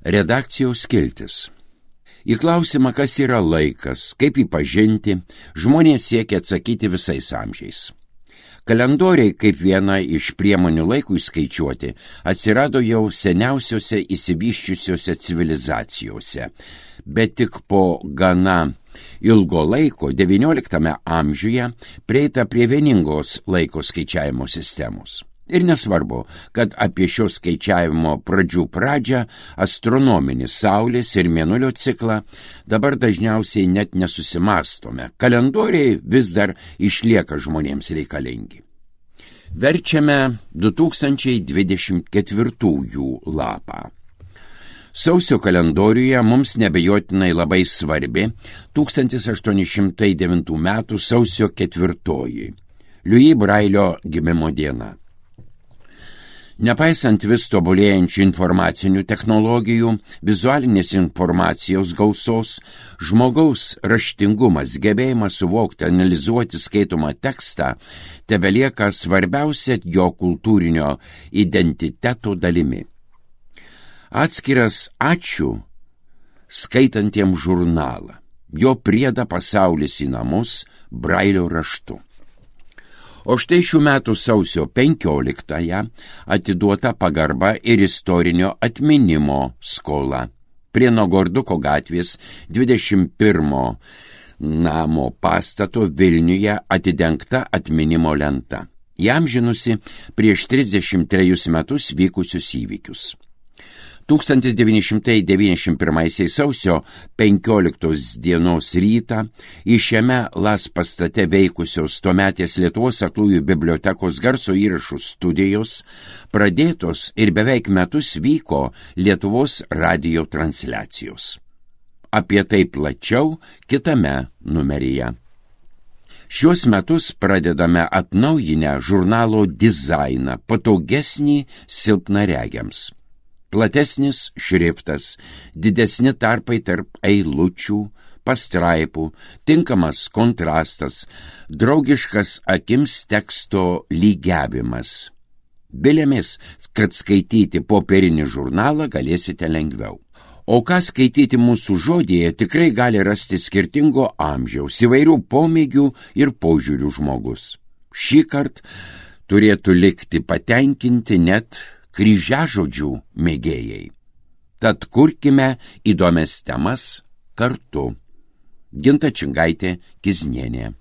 Redakcijos skiltis. Į klausimą, kas yra laikas, kaip jį pažinti, žmonės siekia atsakyti visais amžiais. Kalendoriai, kaip viena iš priemonių laikui skaičiuoti, atsirado jau seniausiose išsivysčiusiose civilizacijose, bet tik po gana ilgo laiko, XIX amžiuje, prieita prie vieningos laiko skaičiavimo sistemos. Ir nesvarbu, kad apie šio skaičiavimo pradžią astronominį Saulės ir Mėnulio ciklą dabar dažniausiai net nesusimastome. Kalendoriai vis dar išlieka žmonėms reikalingi. Verčiame 2024 lapą. Sausio kalendoriuje mums nebejotinai labai svarbi 1809 metų sausio 4, Louis Brailio gimimo diena. Nepaisant vis tobulėjančių informacinių technologijų, vizualinės informacijos gausos, žmogaus raštingumas, gebėjimas suvokti, analizuoti skaitomą tekstą, tebelieka svarbiausia jo kultūrinio identiteto dalimi. Atskiras ačiū skaitantiems žurnalą, jo priedą Pasaulis į namus Brailio raštu. O štai šių metų sausio 15-ąją atiduota pagarba ir istorinio atminimo skola. Prie Nogorduko gatvės 21 namo pastato Vilniuje atidengta atminimo lenta, įamžinusi prieš 33 metus vykusius įvykius. 1991 sausio 15 dienos rytą į šiame LAS pastate veikusios tuometės Lietuvos aklųjų bibliotekos garso įrašų studijos pradėtos ir beveik metus vyko Lietuvos radijo transliacijos. Apie tai plačiau kitame numeryje. Šiuos metus pradedame atnaujinę žurnalo dizainą, patogesnį silpnaregiams. Platesnis šriftas, didesni tarpai tarp eilučių, pastraipų, tinkamas kontrastas, draugiškas akims teksto lygiavimas. Bilėmis, kad skaityti popierinį žurnalą galėsite lengviau. O ką skaityti mūsų žodyje tikrai gali rasti skirtingo amžiaus, įvairių pomėgių ir požiūrių žmogus. Šįkart turėtų likti patenkinti net kryžiažodžių mėgėjai. Tad kurkime įdomias temas kartu. Ginta Čingaitė Kiznienė.